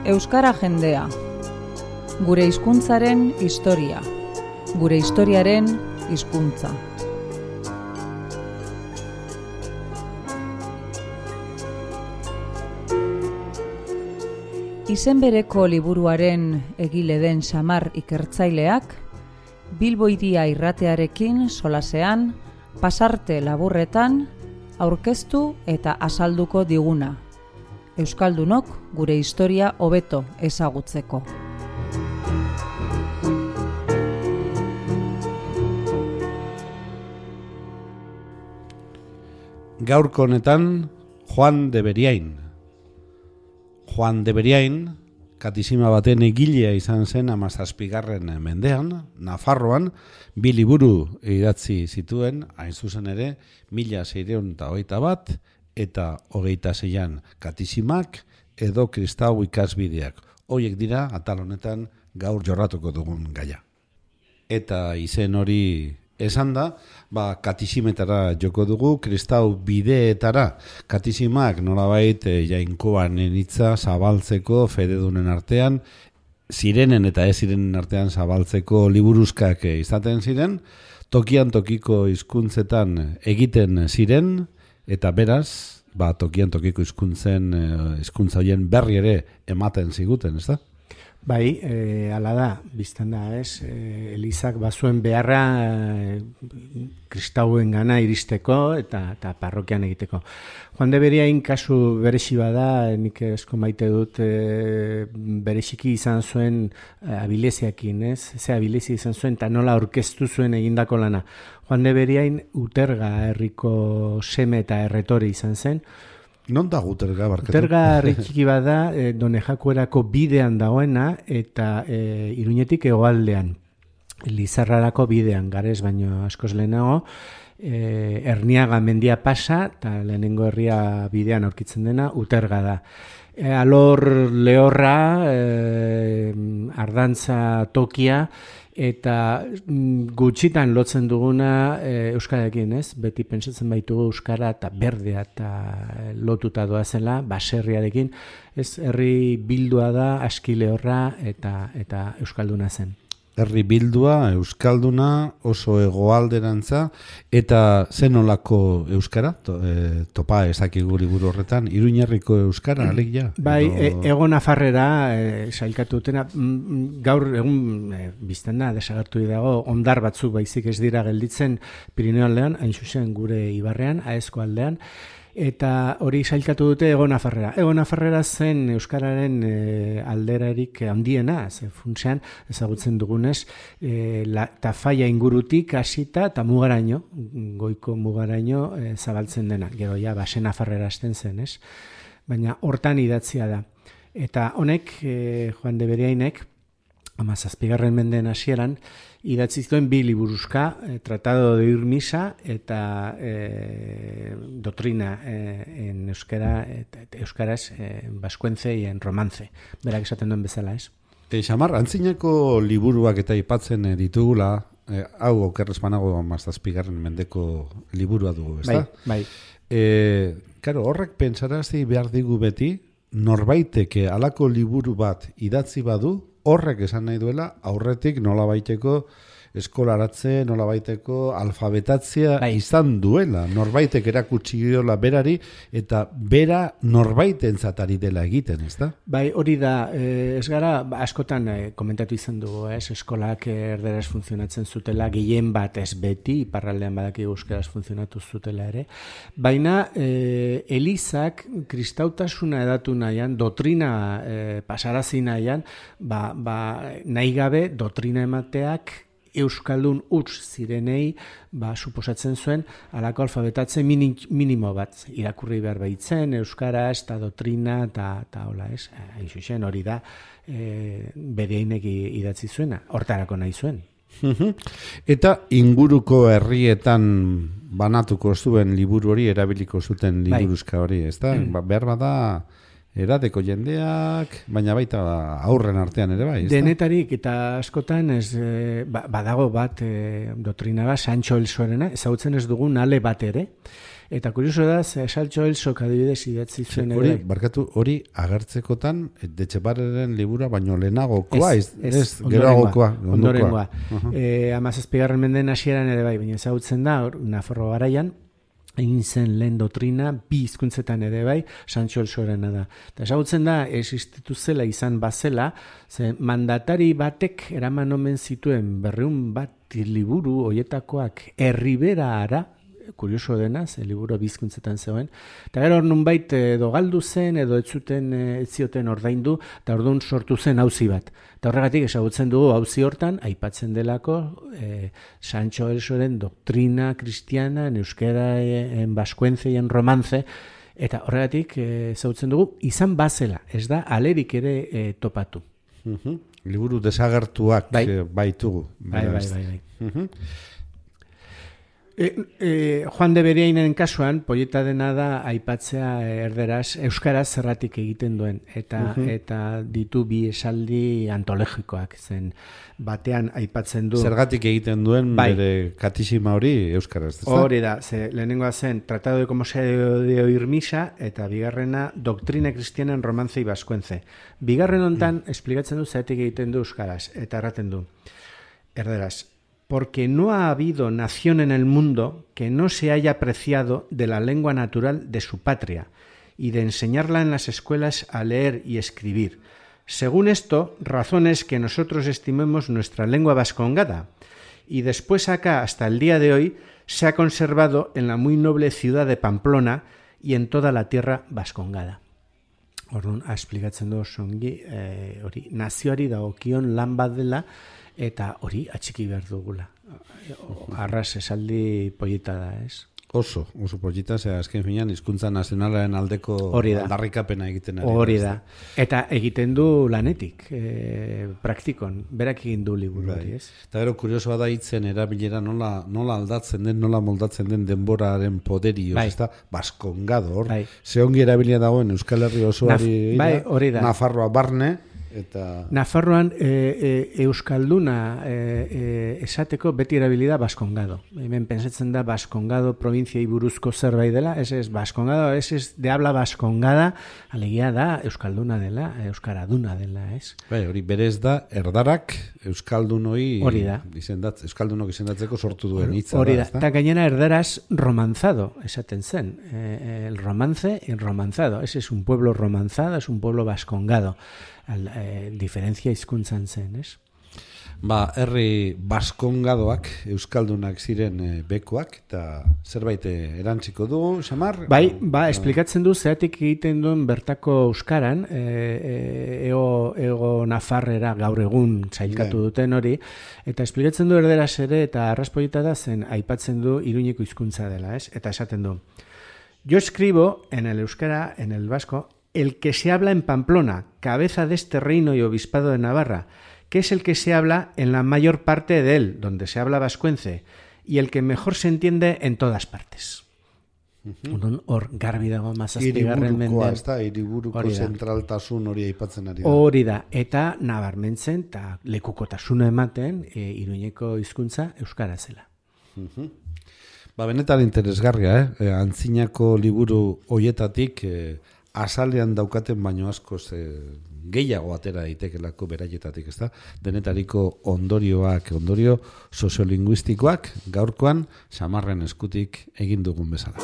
Euskara jendea. Gure hizkuntzaren historia. Gure historiaren hizkuntza. Izen bereko liburuaren egile den Samar ikertzaileak, Bilbo Hiria irratearekin solasean, pasarte laburretan, aurkeztu eta azalduko diguna. Euskaldunok gure historia hobeto ezagutzeko. Gaurko honetan, Juan de Beriain. Juan de Beriain, katisima baten egilea izan zen 17. mendean, Nafarroan, 2 liburu idatzi zituen, hain zuzen ere, 1621 eta 26an katisimak edo kristau ikasbideak. Horiek dira, atal honetan, gaur jorratuko dugun gaia. Eta izen hori esan da, katisimetara joko dugu, kristau bideetara. Katisimak nolabait jainkoan hitza zabaltzeko fededunen artean, zirenen eta ez zirenen artean zabaltzeko liburuzkak izaten ziren, tokian tokiko hizkuntzetan egiten ziren, eta beraz, tokian tokiko hizkuntza horien berri ere ematen ziguten, ez da? Bai, hala da, biztan da, ez? Elizak bazuen beharra kristauen gana iristeko eta parrokian egiteko. Juan de Beriain kasu berezi bada, nik esko maite dut bereziki izan zuen abileziakin, ez? Ze abilezi izan zuen eta nola aurkeztu zuen egindako lana. Juan de Beriain Uterga herriko seme eta erretori izan zen. Non da Uterga barkatu? Uterga herri txiki bada, Donejakuerako bidean dagoena eta Iruñetik hegoaldean. Lizarrarako bidean, garez baino askoz lehenago, Erniaga mendia pasa eta lehenengo herria bidean aurkitzen dena Uterga da. Alor lehorra, ardantza tokia, eta gutxitan lotzen duguna euskararekin, ez? Beti pentsatzen baitugu euskara eta berdea eta lotuta doazela, baserriarekin, ez? Herri bildua da, aski lehorra eta euskalduna zen. Herri bildua, euskalduna, oso hegoalderantza, eta zenolako euskara? Topa ezakigu liburu horretan, Iruñerriko euskara, alegia? Bai, Ego Nafarrera sailkatu dutena, gaur egun bizten da, desagertu dago, ondar batzuk baizik ez dira gelditzen Pirineo aldean, hain zuzen gure ibarrean, Aezko aldean, eta hori sailkatu dute Ego Nafarrera. Ego Nafarrera zen euskararen alderarik handiena, ze funtsean ezagutzen dugunez, Tafaia ingurutik hasita eta mugaraino, goiko mugaraino zabaltzen dena. Gero ja, Base Nafarrera hasten zen, ez? Baina hortan idatzia da. Eta honek, Juan de Beriainek, 17. mendeen hasieran, idatzi zituen 2 liburuzka, Tratado de Ir Misa eta Doctrina en euskara, euskaraz baskuentze en romance. Berak esaten duen bezala, ez? Xamar, antzinako liburuak eta aipatzen ditugula, hau okerrez banago 17. mendeko liburua dugu, ez da? Bai. Karo, horrek pentsarazi behar digu beti, norbaitek halako liburu bat idatzi badu, horrek esan nahi duela, aurretik nolabaiteko eskolaratze, nolabaiteko alfabetatzea izan duela. Norbaitek erakutsi diola berari, eta bera norbaitentzat ari dela egiten, ez da? Bai, hori da, ez gara, askotan komentatu izan dugu, ez? Eskolak erderaz funtzionatzen zutela, gehien bat ez beti, iparraldean badaki euskaraz funtzionatu zutela ere, baina Elizak kristautasuna edatu nahian, dotrina pasarazi nahian, nahi gabe dotrina emateak euskaldun huts zirenei, suposatzen zuen, halako alfabetatze minimo bat irakurri behar baitzen, euskaraz eta dotrina eta hola, ez? Hain zuzen hori da, Beriainek idatzi zuena, hortarako nahi zuen. Eta inguruko herrietan banatuko zuen liburu hori, erabiliko zuten liburuzka hori, ez da? Behar bada edadeko jendeak, baina baita aurren artean ere bai, ez da? Denetarik eta askotan badago bat dotrina bat, Sancho el Sorena, ezagutzen ez dugun ale bat ere, Eta kurioso da, Saltxo Elsok adibidez idatzi zuen ere. Hori agertzekotan, Etxebarren libura, baino lehenagokoa, ez geroagokoa. Ondorengoa. 17. mendeen hasieran ere bai, baina ezagutzen da, Nafarro garaian, egin zen lehen doktrina, 2 hizkuntzetan ere bai, Sancho Elsorena da. Eta ezagutzen da, existitu zela izan bazela, ze mandatari batek eraman omen zituen 200 bat liburu hoietakoak Erriberara, kurioso dena, ze liburu 2 hizkuntzetan zegoen, eta gero nunbait edo galdu zen, edo ez zioten ordaindu, eta orduan sortu zen auzi bat. Eta horregatik ezagutzen dugu auzi hortan, aipatzen delako Sancho Elsoren doktrina kristiana, en euskera, en baskuence y en romance, eta horregatik ezagutzen dugu, izan bazela, ez da alerik ere topatu. Liburu desagertuak baitugu. Bai. Juan de Beriainen kasuan, poieta dena da aipatzea euskaraz zerratik egiten duen, eta ditu 2 esaldi antologikoak, zen batean aipatzen du. Zergatik egiten duen bere katisima hori euskaraz. Hori da, lehenengoa zen Tratado de cómo se de oír misa, eta bigarrena Doctrina cristiana en romance y vascuence. Bigarren hontan esplikatzen du zergatik egiten du euskaraz, eta erraten du, erderaz, porque no ha habido nación en el mundo que no se haya apreciado de la lengua natural de su patria y de enseñarla en las escuelas a leer y escribir. Según esto, razón es que nosotros estimemos nuestra lengua vascongada y después acá hasta el día de hoy se ha conservado en la muy noble ciudad de Pamplona y en toda la tierra vascongada. Orduan, esplikatzen du songi, hori nazioari dagokion lan bat dela, eta hori atxiki behar dugula. Arras esaldi poieta da, ez? Oso poieta, azken finean hizkuntza nazionalaren aldeko aldarrikapena egiten ari. Hori da. Eta egiten du lanetik, praktikon, berak egin du liburu hori, ez? Eta gero kuriosoa da hitzen erabilera nola aldatzen den, nola moldatzen den denboraren poderioz, ez da? Baskongado, hor. Ze ongi erabilia dagoen Euskal Herri osoari, Nafarroa barne, eta Nafarroan euskalduna esateko beti erabilida baskongado. Hemen pensatzen da baskongado provinciai buruzko zerbait dela, ez baskongado, ez de habla baskongada, alegia da euskalduna dela, euskaraduna dela, ez? Hori berez da erdarak euskaldunoi euskaldunok izendatzeko sortu duen hitza. Hori da, eta gainera erdaraz romanzado esaten zen. El romance y romanzado. Ese es un pueblo romanzado, es un pueblo baskongado. Diferentzia hizkuntzan zen, ez? Herri baskongadoak euskaldunak ziren bekoak, eta zerbait erantziko du, Samar? Esplikatzen du zeratik egiten duen bertako euskaran, ego Nafarrera gaur egun sailkatu duten hori, eta esplikatzen du erderaz ere, eta arraspoieta da zen aipatzen du Iruñeko hizkuntza dela, ez? Eta esaten du, yo escribo en el euskara, en el vasco, el que se habla en Pamplona, cabeza de este reino y obispado de Navarra, que es el que se habla en la mayor parte de él, donde se habla vascuence, y el que mejor se entiende en todas partes. Hor garbi dago mazazpigarren mendean. Hiriburuko zentraltasun hori aipatzen ari da. Hori da, eta nabarmentzen, eta lekukotasuna ematen, Iruñeko hizkuntza euskara zela. Benetan interesgarria, antzinako liburu hoietatik azalean daukaten baino askoz gehiago atera daitekelako beraietatik, ezta? Denetariko ondorio soziolinguistikoak gaurkoan Samarren eskutik egin dugun bezala.